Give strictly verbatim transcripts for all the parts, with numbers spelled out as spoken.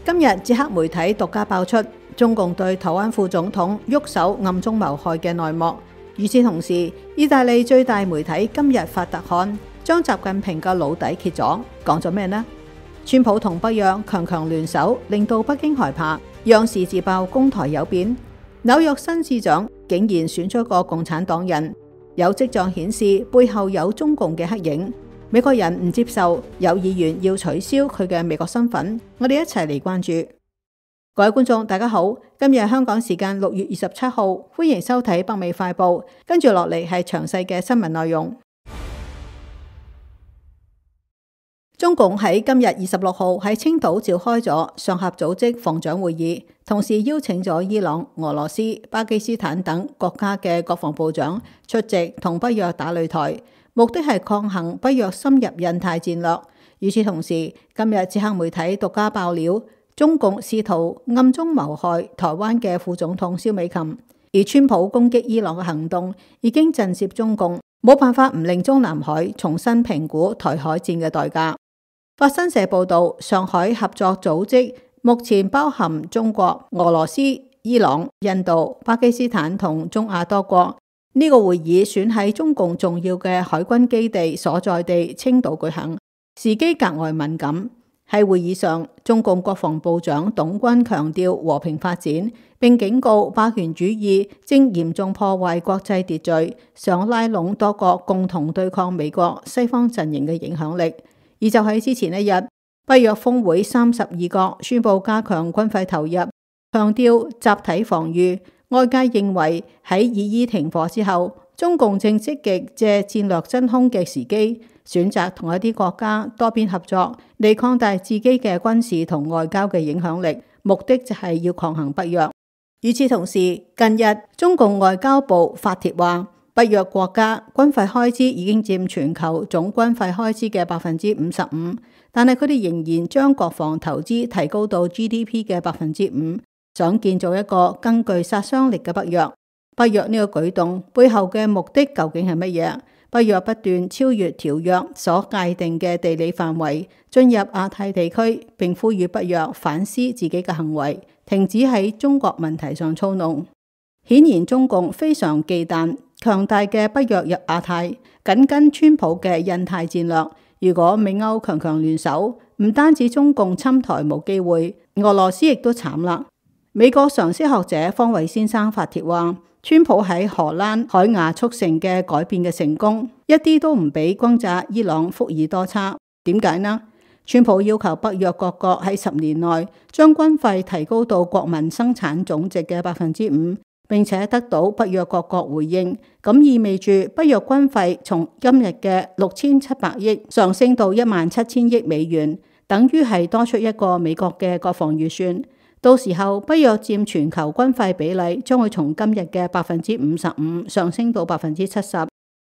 今日捷克媒體獨家爆出中共對台灣副總統喐手暗中謀害嘅內幕。與此同時，意大利最大媒體今日發特刊，將習近平嘅老底揭咗，講咗咩呢？川普同北約強強聯手，令到北京害怕，央視自爆攻台有變。紐約新市長竟然選出個共產黨人，有跡象顯示背後有中共嘅黑影。美國人唔接受，有議員要取消佢嘅美國身份。我哋一齊嚟關注。各位觀眾大家好，今日香港時間六月二十七號，歡迎收睇北美快報。跟住落嚟係詳細嘅新聞內容。中共喺今日二十六號喺青島召開咗上合組織防長會議，同時邀請咗伊朗、俄羅斯、巴基斯坦等國家嘅國防部長出席，同北約打擂台，目的係抗衡北約深入印太戰略。與此同時，今日捷克媒體獨家爆料，中共試圖暗中謀害台灣嘅副總統蕭美琴，而川普攻擊伊朗嘅行動已經震懾中共，冇辦法唔令中南海重新評估台海戰嘅代價。法新社報道，上海合作組織目前包含中國、俄羅斯、伊朗、印度、巴基斯坦同中亞多國。呢、這個會議選喺中共重要嘅海軍基地所在地青島舉行，時機格外敏感。喺會議上，中共國防部長董軍強調和平發展，並警告霸權主義正嚴重破壞國際秩序，想拉攏多國共同對抗美國西方陣營嘅影響力。而就喺之前一日，北約峰會三十二國宣布加強軍費投入，強調集體防禦。外界認為喺以伊停火之後，中共正積極借戰略真空嘅時機，選擇同一啲國家多邊合作，嚟擴大自己嘅軍事同外交嘅影響力，目的就係要抗衡北約。與此同時，近日中共外交部發帖話，北約國家軍費開支已經佔全球總軍費開支嘅百分之五十五，但係佢哋仍然將國防投資提高到 G D P 嘅百分之五，想建造一個更具殺傷力嘅北約。北約呢個舉動背後嘅目的究竟係乜嘢？北約不斷超越條約所界定嘅地理範圍，進入亞太地區，並呼籲北約反思自己嘅行為，停止喺中國問題上操弄。顯然中共非常忌憚強大嘅北約入亞太，緊跟川普嘅印太戰略。如果美歐強強聯手，唔單止中共侵台冇機會，俄羅斯亦都慘啦。美國常識學者方偉先生發帖話，川普喺荷蘭海牙促成嘅改變嘅成功，一啲都唔比轟炸伊朗福爾多差。點解呢？川普要求北約各國喺十年內將軍費提高到國民生產總值嘅百分之五，並且得到北約各國回應，咁意味住北約軍費從今日嘅六千七百億上升到一萬七千億美元，等於係多出一個美國嘅國防預算。到時候北約佔全球軍費比例將會從今日嘅百分之五十五上升到百分之七十。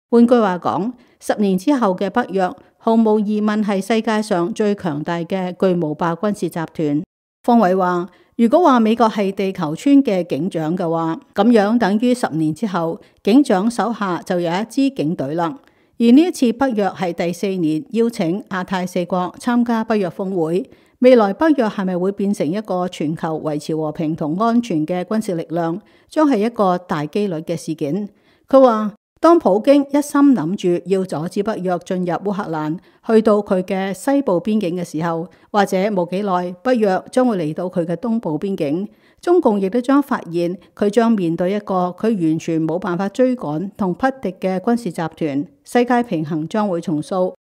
換句話講，十年之後嘅北約毫無疑問係世界上最強大嘅巨無霸軍事集團。方偉話，如果話美國係地球村嘅警長嘅話，咁樣等於十年之後警長手下就有一支警隊啦。而呢一次北約係第四年邀請亞太四國參加北約峰會，未來北約係咪會變成一個全球維持和平同安全嘅軍事力量，將係一個大機率嘅事件。佢話，當普京一心諗住要阻止北約進入烏克蘭，去到佢嘅西部邊境嘅時候，或者冇幾耐，北約將會嚟到佢嘅東部邊境，中共亦都將發現佢將面對一個佢完全冇辦法追趕同匹敵嘅軍事集團，世界平衡將會重塑。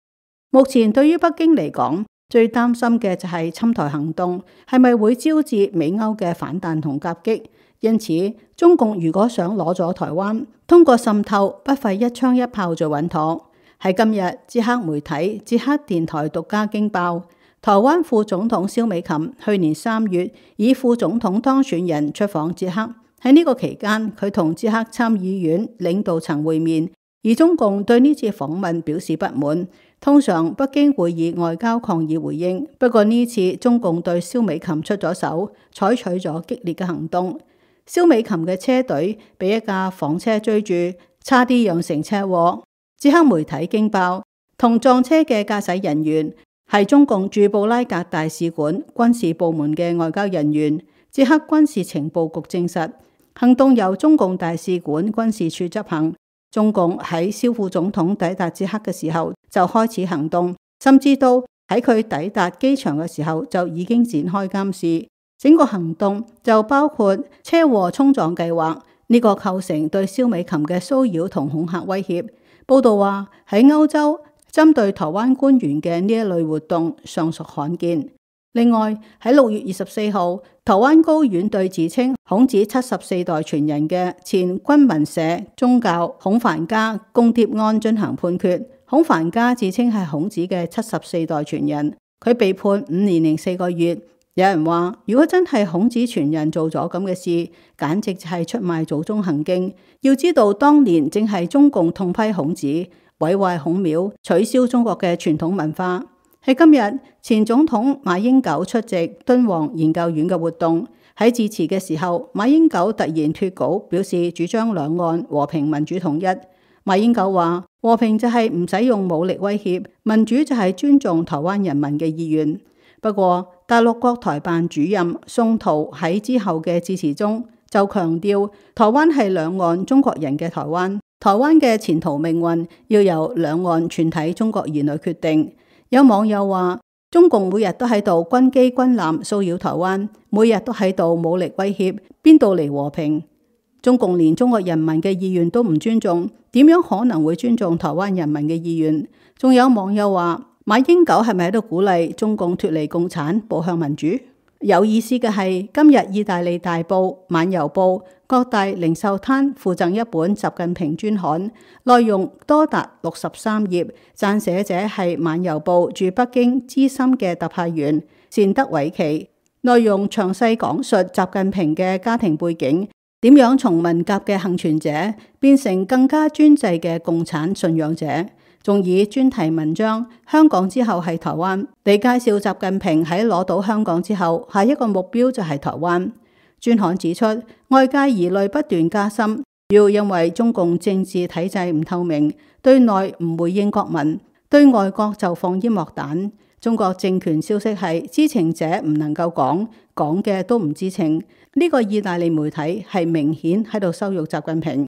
目前對於北京嚟講，最擔心嘅就係侵台行動係咪會招致美歐嘅反彈同夾擊。因此，中共如果想攞咗台灣，通過滲透不費一槍一炮就穩妥。喺今日，捷克媒體捷克電台獨家驚爆，台灣副總統蕭美琴去年三月以副總統當選人出訪捷克，喺呢個期間，佢同捷克參議院領導層會面，而中共對呢次訪問表示不滿。通常北京會以外交抗議回應，不過呢次中共對蕭美琴出咗手，採取咗激烈嘅行動。蕭美琴嘅車隊被一架房車追住，差啲釀成車禍。捷克媒體驚爆，同撞車嘅駕駛人員係中共駐布拉格大使館軍事部門嘅外交人員，捷克軍事情報局證實，行動由中共大使館軍事處執行。中共喺蕭副總統抵達捷克嘅時候就開始行動，甚至到喺佢抵達機場嘅時候就已經展開監視。整個行動就包括車禍衝撞計劃，呢個構成對蕭美琴嘅騷擾同恐嚇威脅。報道話喺歐洲針對台灣官員嘅呢一類活動尚屬罕見。另外喺六月二十四號，台灣高院對自稱孔子七十四代傳人嘅前軍民社宗教孔繁家公諜案進行判決。孔繁家自稱係孔子嘅七十四代傳人，佢被判五年零四個月。有人話，如果真係孔子傳人做咗咁嘅事，簡直就係出賣祖宗行徑。要知道當年正係中共痛批孔子，毀壞孔廟，取消中國嘅傳統文化。喺今日，前總統馬英九出席敦煌研究院嘅活動，喺致辭嘅時候，馬英九突然脫稿，表示主張兩岸和平民主統一。馬英九話：和平就係唔使用武力威脅，民主就係尊重台灣人民嘅意願。不過，大陸國台辦主任宋濤喺之後嘅致辭中就強調，台灣係兩岸中國人嘅台灣，台灣嘅前途命運要由兩岸全體中國兒女決定。有網友話，中共每日都喺度軍機軍艦騷擾台灣，每日都喺度武力威脅，邊度嚟和平？中共連中國人民嘅意願都唔尊重，點樣可能會尊重台灣人民嘅意願？仲有網友話，馬英九係咪喺度鼓勵中共脫離共產，步向民主？有意思嘅係，今日意大利大報《晚郵報》各大零售攤附贈一本習近平專刊，內容多達六十三頁，撰寫者係《晚郵報》駐北京資深嘅特派員單德偉奇，內容詳細講述習近平嘅家庭背景，點樣從文革嘅幸存者變成更加專制嘅共產信仰者。仲以專題文章香港之後係台灣嚟介紹習近平喺攞到香港之後，下一個目標就係台灣。專刊指出，外界疑慮不斷加深，主要因為中共政治體制唔透明，對內唔回應國民，對外國就放煙幕彈。中國政權消息係知情者唔能夠講，講嘅都唔知情。呢個意大利媒體係明顯喺度羞辱習近平。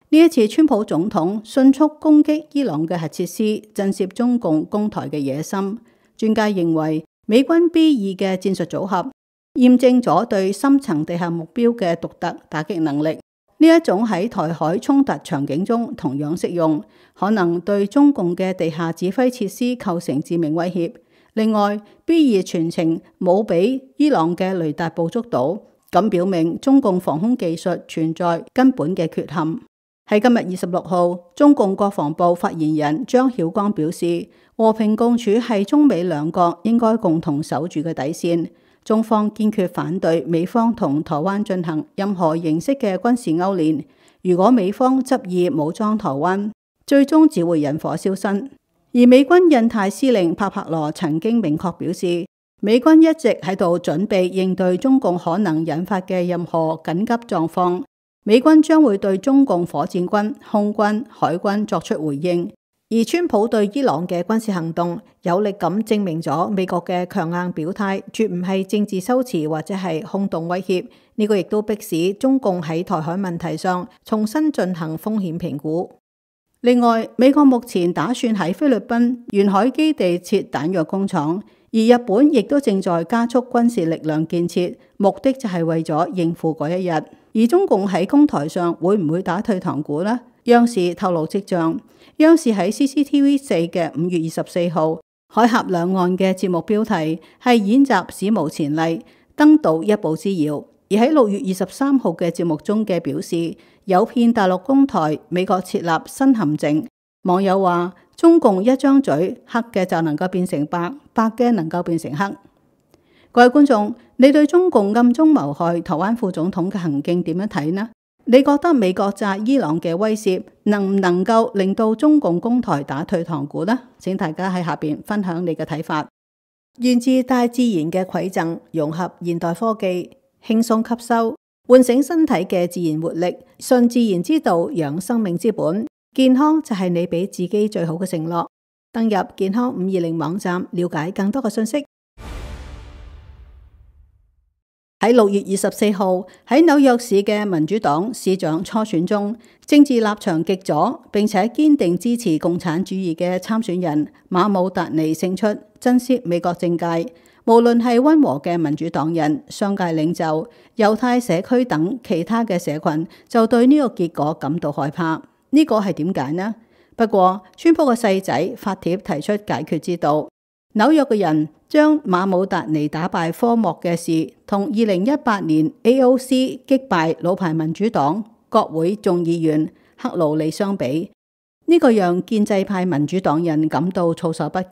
呢一次，川普總統迅速攻擊伊朗嘅核設施，震懾中共攻台嘅野心。專家認為，美軍 B 二嘅戰術組合驗證咗對深層地下目標嘅獨特打擊能力。呢一種喺台海衝突場景中同樣適用，可能對中共嘅地下指揮設施構成致命威脅。另外 ，B 二全程冇俾伊朗嘅雷達捕捉到，咁表明中共防空技術存在根本嘅缺陷。喺今日二十六號，中共國防部發言人張曉光表示，和平共處係中美兩國應該共同守住嘅底線。中方堅決反對美方同台灣進行任何形式嘅軍事勾連。如果美方執意武裝台灣，最終只會引火燒身。而美軍印太司令帕帕羅曾經明確表示，美軍一直喺度準備應對中共可能引發嘅任何緊急狀況。美軍將會對中共火箭軍、空軍、海軍作出回應，而川普對伊朗嘅軍事行動有力咁證明咗美國嘅強硬表態絕唔係政治修辭或者係空洞威脅。呢個亦都迫使中共喺台海問題上重新進行風險評估。另外，美國目前打算喺菲律賓沿海基地設彈藥工廠，而日本亦都正在加速軍事力量建設，目的就係為咗應付嗰一日。而中共喺攻台上會唔會打退堂鼓呢？央視透露跡象，央視喺 C C T V 四嘅五月二十四號海峽兩岸嘅節目標題係演習史無前例，登島一步之遙。而喺六月二十三號嘅節目中嘅表示，誘騙大陸攻台，美國設立新陷阱。網友話，中共一張嘴，黑嘅就能夠變成白，白嘅能夠變成黑。各位觀眾，你對中共暗中謀害台灣副總統嘅行徑點樣睇呢？你覺得美國炸伊朗嘅威脅能唔能夠令到中共攻台打退堂鼓呢？請大家喺下邊分享你嘅睇法。源自大自然嘅饋贈，融合現代科技，輕鬆吸收，喚醒身體嘅自然活力，順自然之道，養生命之本。健康就係你俾自己最好嘅承諾。登入健康五二零網站了解更多嘅信息。喺六月二十四號，喺紐約市嘅民主黨市長初選中，政治立場極左並且堅定支持共產主義嘅參選人馬姆達尼勝出，震懾美國政界。無論係溫和嘅民主黨人、商界領袖、猶太社區等其他嘅社群，就對呢個結果感到害怕。呢個係點解呢？不過，川普嘅細仔發帖提出解決之道。紐約嘅人將馬姆達尼打敗科莫嘅事，同二零一八年 A O C 擊敗老牌民主黨國會眾議員克魯里相比，呢、這個讓建制派民主黨人感到措手不及。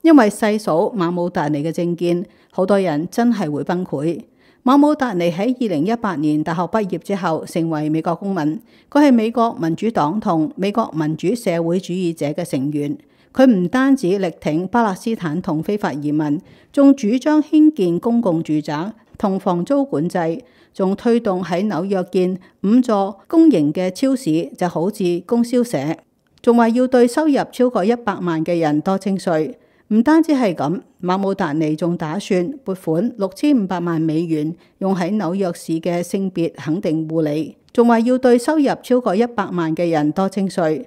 因為細數馬姆達尼嘅政見，好多人真係會崩潰。馬姆達尼喺二零一八年大學畢業之後，成為美國公民。佢係美國民主黨同美國民主社會主義者嘅成員。佢唔單止力挺巴勒斯坦同非法移民，仲主張興建公共住宅同房租管制，仲推動喺紐約建五座公營嘅超市，就好似供銷社，仲話要對收入超過一百萬嘅人多徵稅。唔單止係咁，馬姆達尼仲打算撥款六千五百萬美元用喺紐約市嘅性別肯定護理，仲話要對收入超過一百萬嘅人多徵稅。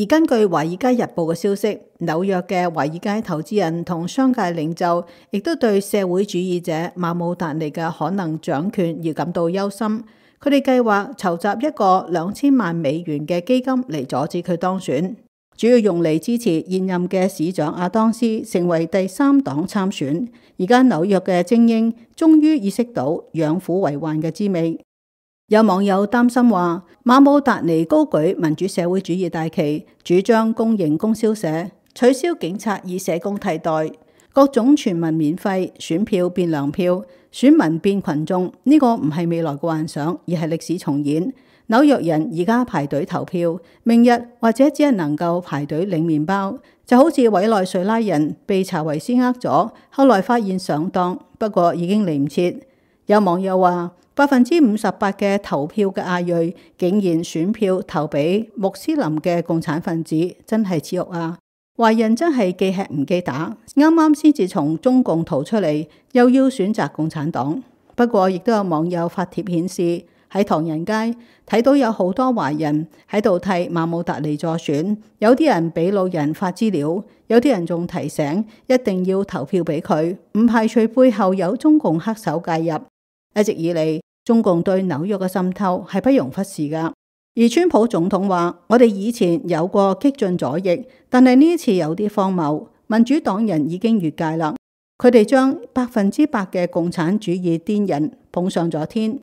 而根據《華爾街日報》嘅消息，紐約嘅華爾街投資人同商界領袖亦都對社會主義者馬姆達尼嘅可能掌權而感到憂心。佢哋計劃籌集一個兩千萬美元嘅基金嚟阻止佢當選，主要用嚟支持現任嘅市長阿當斯成為第三黨參選。而家紐約嘅精英終於意識到養虎為患嘅滋味。有網友擔心話，馬姆達尼高舉民主社會主義大旗，主張公營供銷社，取消警察以社工替代，各種全民免費，選票變糧票，選民變群眾。呢個唔係未來嘅幻想，而係歷史重演。紐約人而家排隊投票，明日或者只係能夠排隊領麵包，就好似委內瑞拉人被查韋斯呃咗，後來發現上當，不過已經嚟唔切。有網友話，百分之五十八嘅投票嘅亞裔竟然選票投俾穆斯林嘅共產分子，真係恥辱啊！華人真係既吃唔記打，啱啱先至從中共逃出嚟，又要選擇共產黨。不過亦都有網友發帖顯示，喺唐人街睇到有好多華人喺度替馬姆達尼助選，有啲人俾老人發資料，有啲人仲提醒一定要投票俾佢，唔排除背後有中共黑手介入。一直以嚟，中共對紐約嘅滲透係不容忽視噶。而川普總統話，我哋以前有過激進左翼，但係呢次有啲荒謬，民主黨人已經越界啦。佢哋將百分之百嘅共產主義癲人捧上咗天。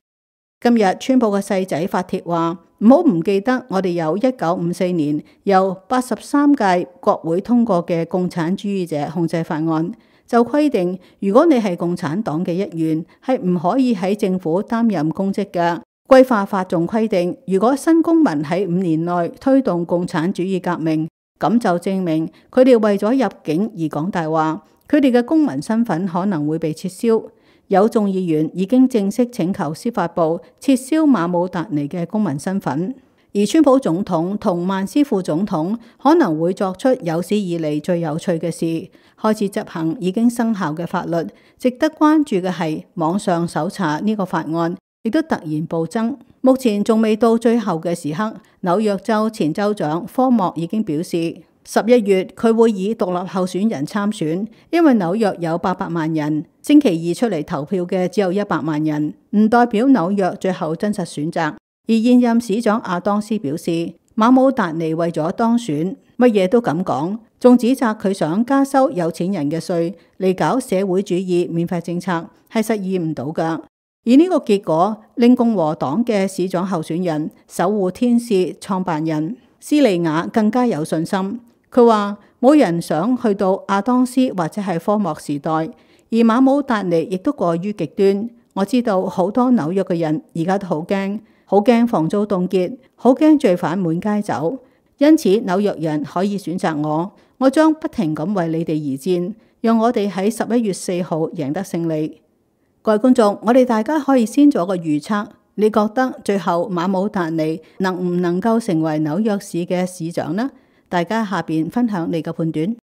今日川普嘅細仔發帖話，唔好唔記得我哋有一九五四年由八十三屆國會通過嘅共產主義者控制法案，就規定如果你係共產黨嘅一員，係唔可以喺政府擔任公職嘅。歸化法仲規定，如果新公民喺五年內推動共產主義革命，咁就證明佢哋為咗入境而講大話，佢哋嘅公民身份可能會被撤銷。有眾議員已經正式請求司法部撤銷馬姆達尼嘅公民身份。而川普總統同曼斯副總統可能會作出有史以嚟最有趣嘅事，開始執行已經生效嘅法律。值得關注嘅係網上搜查呢個法案亦都突然暴增，目前仲未到最後嘅時刻。紐約州前州長科莫已經表示，十一月佢會以獨立候選人參選，因為紐約有八百萬人，星期二出嚟投票嘅只有一百萬人，唔代表紐約最後真實選擇。而現任市長阿當斯表示，馬姆達尼為咗當選，乜嘢都敢講，仲指責佢想加收有錢人嘅稅嚟搞社會主義免費政策，係實現唔到噶。而呢個結果令共和黨嘅市長候選人守護天使創辦人斯利亞更加有信心。佢話冇人想去到阿當斯或者係科莫時代，而馬姆達尼亦都過於極端。我知道好多紐約嘅人而家都好驚，好驚房租凍結，好驚罪犯滿街走。因此紐約人可以選擇我，我將不停咁為你哋而戰，讓我哋喺十一月四號贏得勝利。各位觀眾，我哋大家可以先做個預測，你覺得最後馬姆達尼能唔能夠成為紐約市嘅市長呢？大家下邊分享你嘅判斷。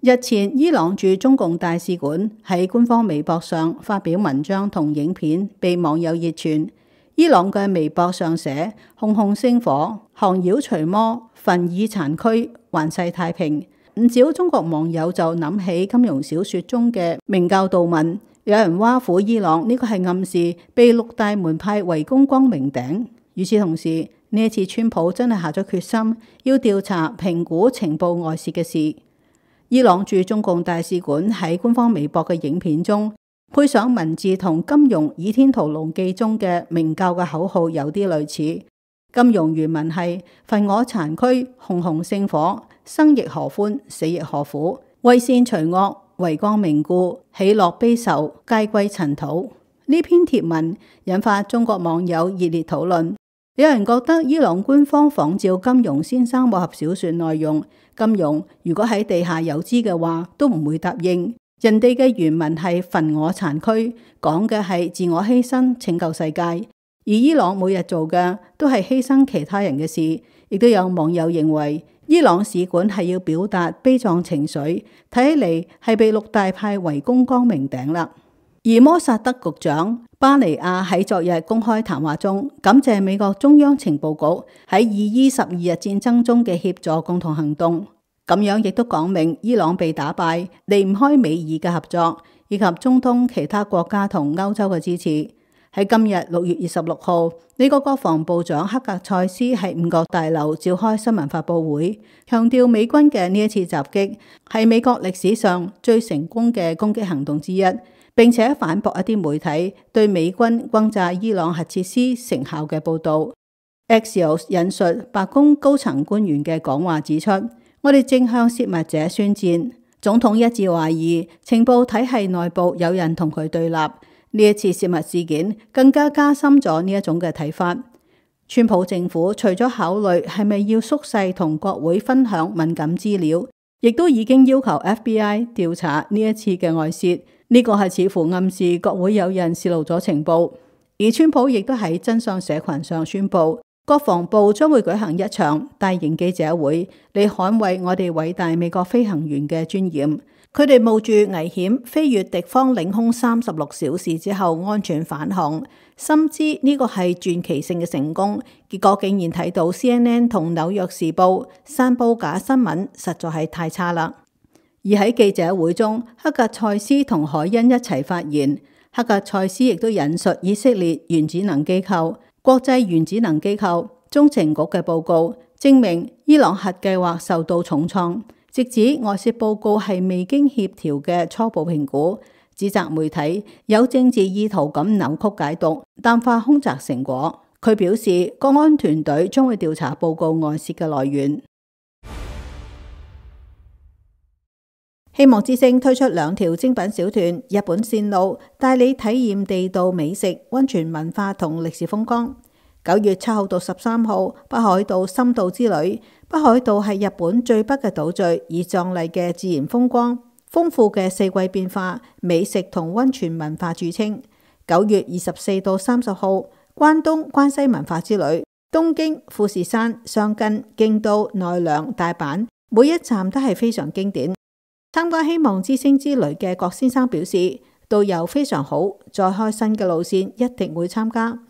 日前，伊朗駐中共大使館喺官方微博上發表文章同影片，被網友熱傳。伊朗嘅微博上寫：熊熊星火，降妖除魔，焚以殘軀，還世太平。唔少中國網友就諗起金庸小說中嘅明教導文，有人挖苦伊朗呢個係暗示被六大門派圍攻光明頂。與此同時，呢一次川普真係下咗決心，要調查評估情報外泄嘅事。伊朗駐中共大使館喺官方微博嘅影片中，配上文字同金庸《倚天屠龍記》中嘅明教嘅口號有啲類似。金庸原文係：焚我殘軀，熊熊星火，生亦何歡，死亦何苦。為善除惡，為光明故，喜樂悲愁，皆歸塵土。呢篇帖文引發中國網友熱烈討論。有人覺得伊朗官方仿照金庸先生武俠小說內容，金庸如果喺地下有知嘅話，都唔會答應。人哋嘅原文係焚我殘軀，講嘅係自我犧牲拯救世界，而伊朗每日做嘅都係犧牲其他人嘅事。亦都有網友認為，伊朗使館係要表達悲壯情緒，睇起嚟係被六大派圍攻光明頂啦。而摩薩德局長巴尼亞喺昨日公開談話中，感謝美國中央情報局喺伊伊十二日戰爭中嘅協助共同行動，咁樣亦都講明伊朗被打敗，離唔開美伊嘅合作，以及中東其他國家同歐洲嘅支持。喺今日六月二十六號，美國國防部長克格塞斯喺五角大樓召開新聞發佈會，強調美軍嘅呢一次襲擊係美國歷史上最成功嘅攻擊行動之一。並且反駁一啲媒體對美軍轟炸伊朗核設施成效嘅報導。Axios 引述白宮高層官員嘅講話指出：我哋正向洩密者宣戰。總統一致懷疑情報體系內部有人同佢對立。呢一次洩密事件更加加深咗呢一種嘅睇法。川普政府除咗考慮係咪要縮細同國會分享敏感資料，亦都已經要求 F B I 調查呢一次嘅外洩。呢個係似乎暗示國會有人洩露咗情報，而川普亦都喺真相社群上宣布，國防部將會舉行一場大型記者會嚟捍衛我哋偉大美國飛行員嘅尊嚴。佢哋冒住危險飛越敵方領空三十六小時之後安全返航，深知呢個係傳奇性嘅成功，結果竟然睇到 C N N 同紐約時報散佈假新聞，實在係太差啦。而喺記者會中，克格塞斯同海恩一齊發言。克格塞斯亦都引述以色列原子能機構、國際原子能機構、中情局嘅報告，證明伊朗核計劃受到重創，直指外泄報告係未經協調嘅初步評估，指責媒體有政治意圖咁扭曲解讀，淡化空襲成果。佢表示，國安團隊將會調查報告外泄嘅來源。希望之聲推出兩條精品小團，日本線路帶你體驗地道美食、溫泉文化同歷史風光。九月七號到十三號，北海道深度之旅。北海道係日本最北嘅島嶼，以壯麗嘅自然風光、豐富嘅四季變化、美食同溫泉文化著稱。九月二十四到三十號，關東關西文化之旅。東京、富士山、箱根、京都、奈良、大阪，每一站都係非常經典。參加希望之星之旅嘅郭先生表示，導遊非常好，再開新嘅路線一定會參加。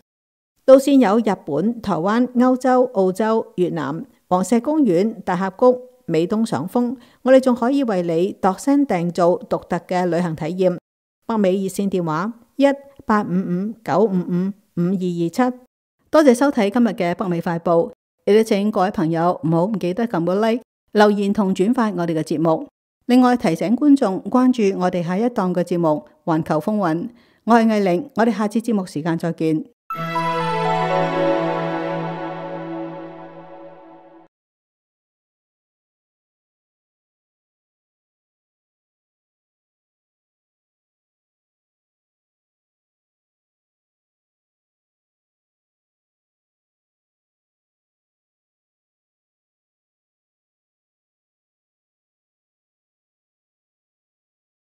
路線有日本、台灣、歐洲、澳洲、越南、黃石公園、大峽谷、美東賞楓。我哋仲可以為你度身訂造獨特嘅旅行體驗。北美熱線電話一八五五九五五五二二七。多謝收睇今日嘅北美快報，亦都請各位朋友唔好唔記得撳個 like、留言同轉發我哋嘅節目。另外提醒觀眾關注我哋下一檔嘅節目《環球風雲》，我係藝玲，我哋下次節目時間再見。